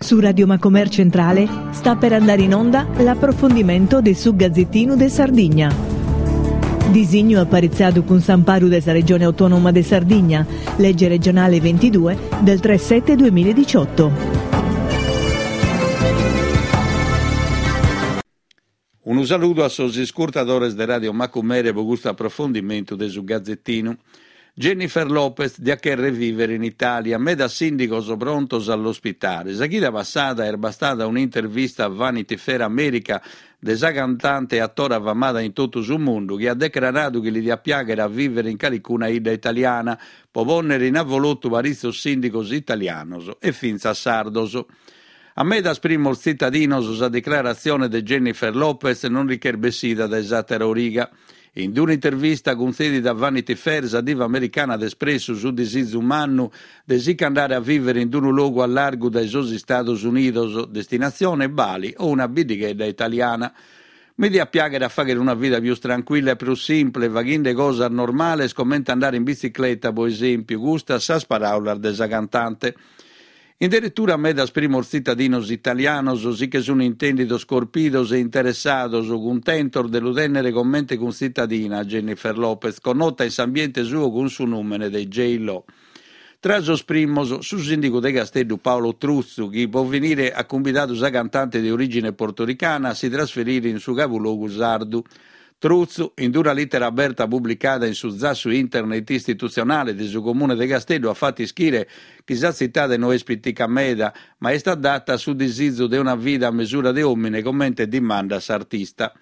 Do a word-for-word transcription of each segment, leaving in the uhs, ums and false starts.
Su Radio Macomer Centrale sta per andare in onda l'approfondimento de su Gazzettinu de Sardigna. Disignu aparitzadu cun s'amparu de sa Regione Autonoma de Sardigna, legge regionale ventidue del tre sette duemiladiciotto. Unu saludu a sos iscurtadores de Radio Macumere pro custu aprofondimentu de su Gazettinu. Jennifer Lopez diat chèrrere vìvere in Itàlia, medas sìndigos prontos a l'ospitare. Sa chida passada est bastada un'intervista a Vanity Fair America de sa cantante e atora famada in totu su mundu chi at decraradu chi li diat piàghere a vìvere in calicuna 'idda italiana pro pònnere in avolotu paritzos sìndigos italianos e fintzas sardos. A medas primos tzitadinos sa declaratzione de Jennifer Lopez non li ch'est bessida dae s'àtera origa. In un'intervista cuntzèdida a Vanity Fair, sa diva americana at espressu su disizu mannu de si ch'andare a vìvere in unu logu a largu dae sos Istados Unidos, destinatzione Bali o una biddighedda italiana. Mi diat piàghere a fàghere una vida pius trancuilla e prus simple, faghende cosas normales comente andare in bitzicleta, pro esèmpiu, custas sas paràulas de sa cantante. In deretura medas primos tzitadinos italianos si che sunt intèndidos corpidos e interessados, cuntentos de lu tènnere comente cuntzitadina a Jennifer Lopez, connota in s'ambiente suo cun su nùmene de J-Lo. Tra sos primos, su sìndigu de Casteddu Paolo Truzzu, chi pro finire at cumbidadu sa cantante de orìgine portoricana a si trasferire in su cabulogu sardu. Truzzu, in una lìtera aberta publicada in su zassu internet istitutzionale de su Comune de Casteddu at fatu ischire chi sa tzitade no est pitica meda, ma est adata a su disizu de una vida a mesura de òmine comente dimandat s'artista.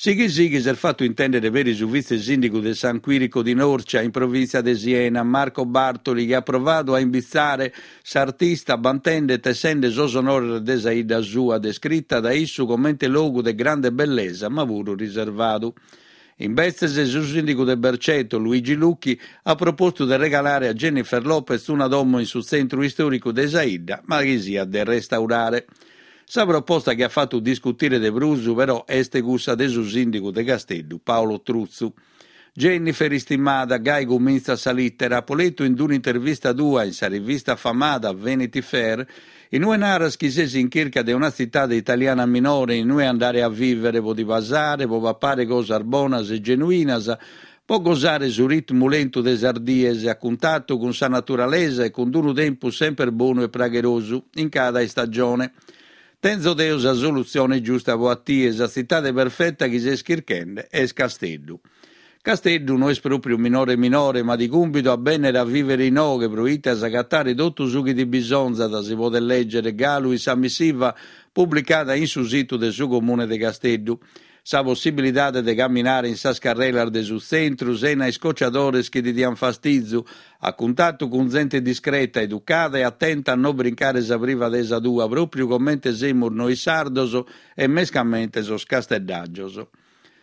Sighi sighi s'est fatu intèndere peri su vitze-sìndigu de San Quirico di Norcia, in provìntzia de Siena, Marco Bartoli, chi at provadu a imbitzare s'artista bantende e tessende sos onores de sa 'idda sua, descrita dae issu comente logu de grande bellesa ma puru riservadu. Imbetzes, su sìndigu de Berceto, Luigi Lucchi, at propostu de regalare a Jennifer Lopez una domo in su tzentru istòricu de sa 'idda, ma chi siat de restaurare. Sa proposta chi at fatu discutire de prus, però, est cussa de su sìndigu de Casteddu, Paolo Truzzu. Jennifer istimada, gai cumintzat sa lìtera, apo letu in un'intervista tua in sa rivista famada Vanity Fair, in ue naras chi ses in chirca de una tzitade italiana minore in ue andare a vìvere pro ti pasare, pro papare cosas bonas e genuinas, pro gosare su ritmu lentu de sas dies, a cuntatu cun sa naturalesa e cun unu tempus semper bonu e pragherosu, in cada istagione. Tenzo deo sa solutzione giusta pro a tie, sa tzitade perfeta chi ses chirchende est Casteddu. Casteddu no est pròpriu minore minore, ma ti cumbido a bènnere a vìvere inoghe pro ite as agatare totu su chi ti bisonzat, si podet lègere galu in sa missiva publicada in su situ de su Comune de Casteddu. Sa possibilidade de caminare in sas carrelas de su tzentru sena iscociadores chi ti diant fastizu, a cuntatu cun zente discreta, educada e atenta a no brincare sa privadesa tua, pròpriu comente semus nois sardos e mescamente sos casteddàgios.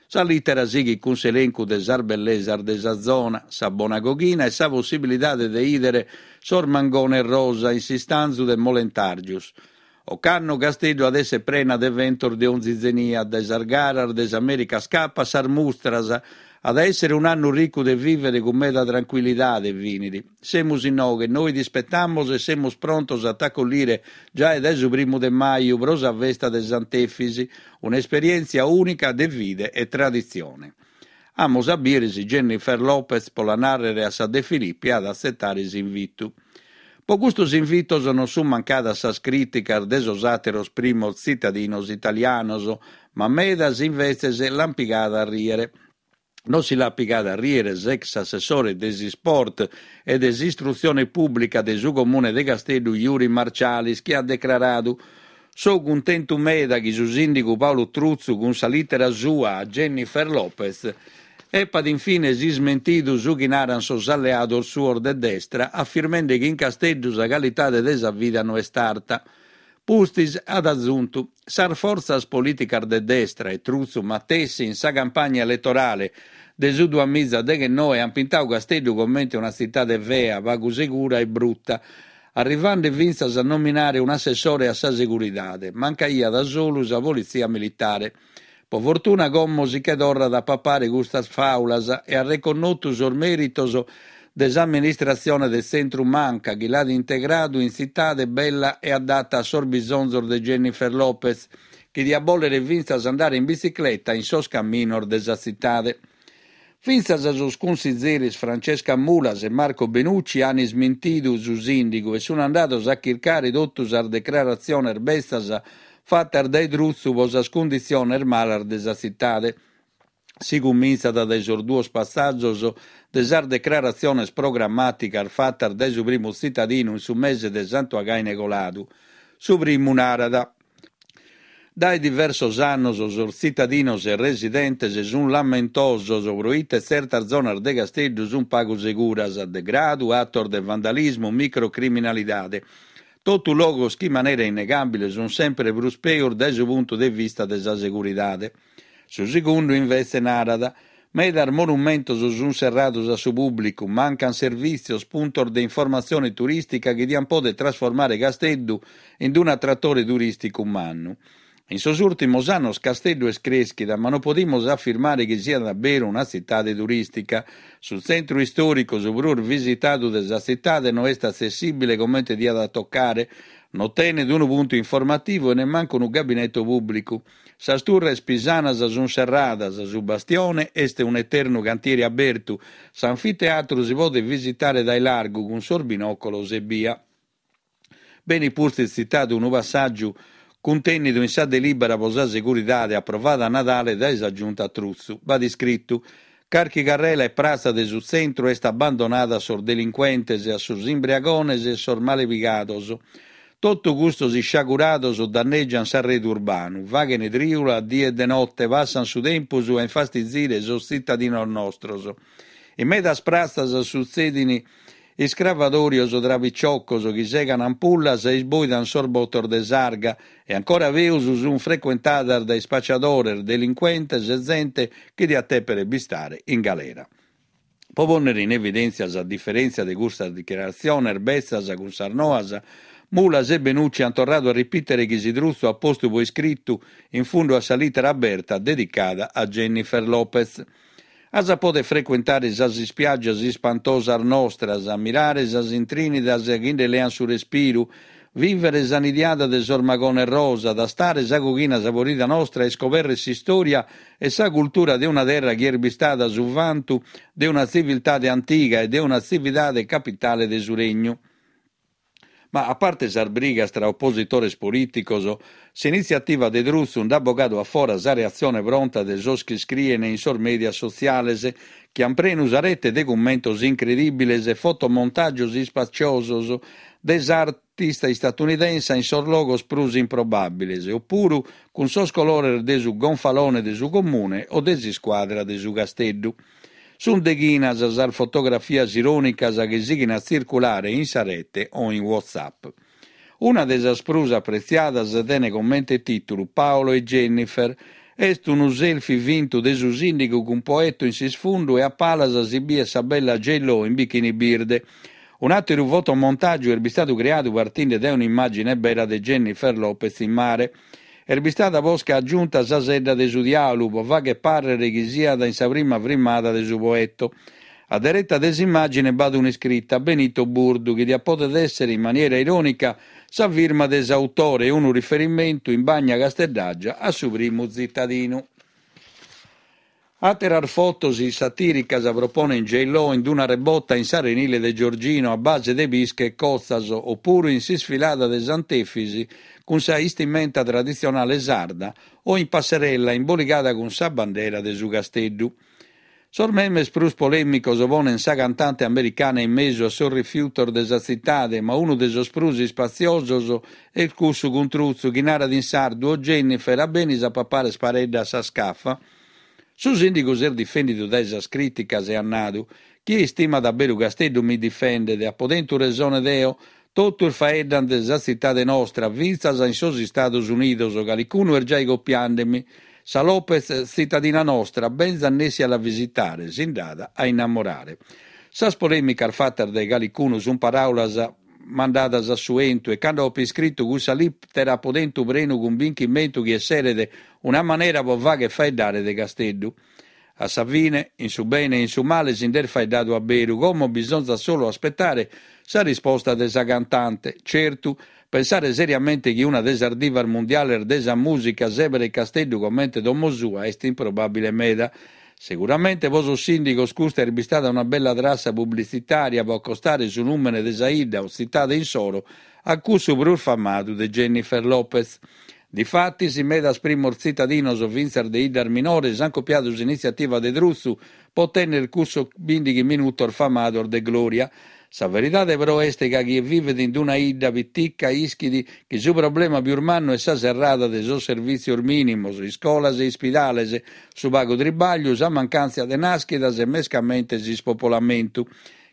Sa lìtera sighit cun s'elencu de sas bellesas de sa zona, sa bona coghina e sa possibilidade de 'ìdere sos mangones rosa in s'istanzu de Molentargius. Ocannu Casteddu at èssere prena de eventos de onzi zenia, dae sas garas de s'America's Cup a sas mustras. At a èssere un'annu ricu de vìvere cun meda trancuillidade, finit. Semus inoghe, nois t'ispetamus e semus prontos a t'acollire giai dae su primu de maju pro sa festa de Sant'Efis, un'esperièntzia ùnica de fide e traditzione. Amus a bìdere si Jennifer Lopez, pro la nàrrere a sa De Filippi, at a atzetare s'invitu. Pro custos invitos non sunt mancadas sas crìticas de sos àteros primos tzitadinos italianos, ma medas imbetzes l'ant pigada a rìere. Non si l'at pigada a rìere s'ex assessore de s'isport e de s'istrutzione pùblica de su Comune de Casteddu Juri Marcialis chi at decraradu So cuntentu meda chi su sìndigu Paolo Truzzu cun sa lìtera sua a Jennifer Lopez epat in fines ismentidu su chi narant sos alleados suos de destra afirmende chi in Casteddu sa calidade de sa vida no est arta. Pustis at azuntu sas fortzas polìticas de destra e Truzzu matessi in sa campagna eletorale de su duamiza deghennoe ant pintadu Casteddu comente una tzitade fea, pagu segura e bruta, arrivende fintzas a nominare un'assessore a sa seguridade, mancaiat solu sa politzia militare. Pro fortuna como si che torrat a papare custas fàulas e at reconnotu sos mèritos de s'amministratzione de tzentru-manca chi l'at integradu in tzitade bella e adatta a sos bisonzos de Jennifer Lopez, chi diat bòlere fintzas andare in bitzicleta in sos caminos de sa tzitade. Fintzas sos cunsizeris Francesca Mulas e Marco Benucci ant ismintidu su sìndigu e sunt andados a chircare totu sas decraratziones betzas fatas dae Truzzu pro sas cunditziones malas de sa tzitade. Si cumintzat dae sos duos passàgios de sas decraratziones programmàticas fatas dae su primu tzitadinu in su mese de Santu Againe coladu. Su primu narat. Dae diversos annos sos tzitadinos e residentes sunt lamentosos pro ite tzertas zonas de Casteddu sunt pagu seguras, degradu, atos de vandalismu, microcriminalidade. Totu logos chi in manera innegàbile sunt semper prus peus dae su puntu de vista de sa seguridade. Su segundu invetze narat, Medas monumentos sunt serrados a su pùblicu, mancant servìtzios, puntos de informatzione turìstica chi diant pòdere trasformare Casteddu in un'atratore turìsticu mannu. In sos ùrtimos annos Casteddu est crèschida, ma non podimus afirmare chi siat a beru una tzitade turìstica. Su tzentru istòricu, su prus visitadu de sa tzitade, no est atzessìbile comente diat a tocare, non tenet unu puntu informativu e nemmancu unu gabineto pùblicu. Sas turres pisanas sunt serradas, su Bastione est un'eternu cantieri abertu, s'anfiteatru si podet visitare dae largu cun sos binòcolos ebbia. Benit pustis tzitadu unu passàgiu cuntènnidu in sa delìbera pro sa seguridade aprovada a Nadale dae sa Giunta Truzzu. B'at iscritu, Carchi carrela e pratza de su tzentru est abbandonada a sos delincuentes, a sos imbriagones e sos malepigados. Totu custos isciagurados dannègiant s'arredu urbanu, faghent trìula a die e de note, passant su tempus a infastizire sos tzitadinos nostros. In medas pratzas sutzedint iscravadòrios tra piciocos chi segant ampullas e isbòidant sos botos de s'arga e ancora peus sunt frecuentadas dae ispaciadores, delincuentes e zente chi diat tèpere bistare in galera. Pro pònnere in evidèntzia sa diferèntzia de custas dichiaratziones betzas cun sas noas, Mulas e Benucci ant torradu a ripìtere chi si Truzzu at postu pro iscritu in fundu a sa lìtera aberta dedicada a Jennifer Lopez. As a pòdere frecuentare sas ispiàgias ispantosas nostras, ammirare sas intrìnidas chi nde leant su respiru, vìvere sa nidiada de sos magones rosa, tastare sa coghina saporida nostra e iscobèrrere s'istòria e sa cultura de una terra chi est bistada su vantu de una tziviltade antiga e de una tzividade capitale de su Regnu. Ma a parte sas brigas tra opositores polìticos, s'initziativa de Truzzu nd'at bogadu a fora sa reatzione pronta de sos chi iscrien in sos mèdia sotziales, chi ant prenu sa rete de cummentos incredìbiles e fotomontàgios ispaciosos de s'artista istatunidensa in sos logos prus improbàbiles, opuru cun sos colores de su gonfalone de su Comune o de s'iscuadra de su Casteddu. Sunt deghinas sas fotografias irònicas chi sighin a tzirculare in sa rete o in WhatsApp. Una de sas prus apretziadas tenet comente tìtulu Paolo e Jennifer. Est unu selfie fintu de su sìndigu cun Poetto in s'isfundu e a palas si biet sa bella J-Lo in bikini birde. Un'àteru fotomontàgiu est bistadu creadu partinde dae un'immàgine bera de Jennifer Lopez in mare. Est bistada posca agiunta sa sedda de su diàulu pro fàghere pàrrere chi siat in sa prima frimmada de su Poetto. A dereta de s'immàgine b'at un'iscrita, Benito Burdu, chi diat pòdere èssere in maniera irònica sa firma de s'autore e unu riferimentu in bagna casteddàgia a su primu tzitadinu. Àteras fotos satìricas proponent J-Lo in una rebota in s'arenile de Giorgino a base de pische e cotzas, opuru in s'isfilada de Sant'Efisi cun sa istimenta traditzionale sarda o in passerella imboligada cun sa bandera de su Casteddu. Sos memes prus polèmicos ponent sa cantante americana in mesu a sos rifiutos de sa tzitade, ma unu de sos prus ispatziosos est cussu cun Truzzu chi narat in sardu O Jennifer, a benis a papare sparedda a sa scafa? Su sìndigu s'est difèndidu dae sas crìticas e at nadu, Chie istimat a beru Casteddu mi difendet, apo tentu resone deo, totus faeddant de sa tzitade nostra, fintzas in sos Istados Unidos, calicunu est giai copiandemi. Sa Lopez, tzitadina nostra, benzat nessi a la visitare, si nd'at a innamorare. Sas polèmicas fatas dae calicunu sunt paràulas mandadas a su 'entu e cando apo iscritu cussa lìtera apo tentu prenu cumbinchimentu chi esseret una manera pro fàghere faeddare de Casteddu. A sa fine, in su bene e in su male si nd'est faeddadu a beru, como bisonzat solu aspettare sa risposta de sa cantante. Certu, pensare seriamente chi una de sas divas mundiales de sa mùsica sèberet Casteddu comente domo sua est improbàbile meda. Seguramente pro sos sìndigos custa est bistada una bella trassa publitzitària pro acostare su nùmene de sa 'idda o tzitade insoro a cussu prus famadu de Jennifer Lopez. Difatis, medas primos tzitadinos fintzas de 'iddas minores ant copiadu s'initziativa de Truzzu pro tènnere cussos bìndighi minutos famados de glòria. Sa veridade però est ca chie vivet in una 'idda pitica ischit chi su problema pius mannu est sa serrada de sos servìtzios mìnimos, iscolas e ispidales, su pagu tribagliu, sa mancàntzia de nàschidas e mescamente s'ispopolamentu.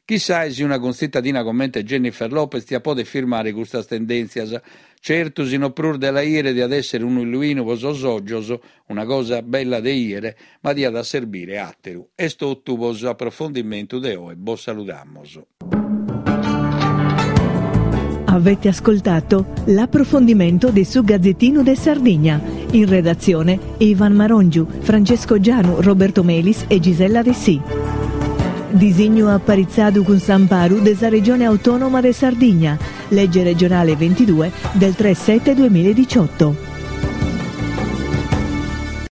Chissai si una cuntzitadina comente Jennifer Lopez tiat poder firmare custas tendèntzias. Certu, si no prus de la 'ìere diat èssere unu illuinu pro sos ògios, una cosa bella de 'ìere, ma diat a serbire àteru. Est totu pro s'aprofondimentu de oe. Bos saludamos. Avete ascoltato l'approfondimento di Su Gazzettino de Sardigna. In redazione Ivan Marongiu, Francesco Gianu, Roberto Melis e Gisella Dessì. Disignu aparitzadu cun s'amparu de sa Regione Autonoma de Sardigna, legge regionale ventidue del tre sette duemiladiciotto.